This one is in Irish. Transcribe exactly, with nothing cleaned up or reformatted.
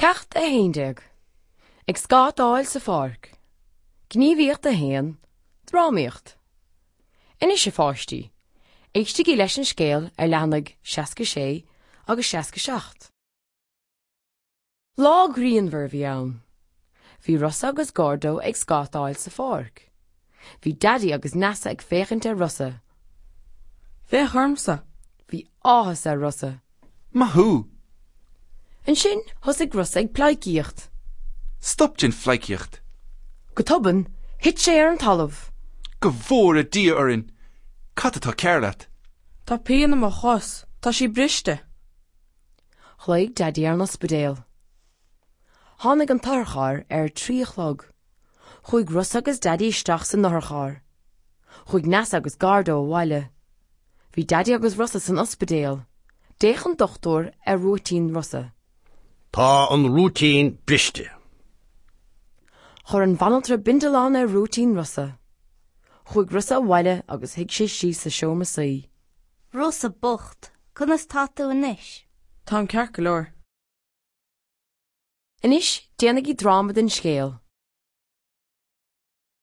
Ceacht a haon déag. Ag scátáil sa pháirc. Gníomhaíocht a haon, Drámaíocht. Anois a pháistí, éistigí leis an scéal ar leathanaigh seasca sé agus seasca seacht. Lá grianmhar a bhí ann. Bhí Rossa agus Gordo ag scátáil sa pháirc. Bhí Daidí agus Neasa ag féachaint ar Rossa. Féach ormsa. Bhí áthas ar Rossa. Maith thú! Ansin thosaigh Rossa ag pleidhcíocht. Stop den phleidhcíocht. Go tobann, thit sé ar an talamh. Go bhfóire Dia orainn! Cad atá cearr leat? Tá pian i mo chos, tá sí briste. Ghlaoigh Daidí ar an ospidéal. Tháinig an t-otharcharr ar a trí a chlog. Chuaigh Rossa agus Daidí isteach san otharcharr. Chuaigh Neasa agus Gordo abhaile. Bhí Daidí agus Rossa san ospidéal. D'fhéach an dochtúir ar rúitín Rossa. Tá an rúitín briste. Chuir an bhanaltra bindealán ar rúitín Rossa. Chuaigh Rossa abhaile agus shuigh sé síos sa seomra suí. Rossa bocht, conas tá tú anois? Táim ceart go leor. Anois déanaigí dráma den scéal.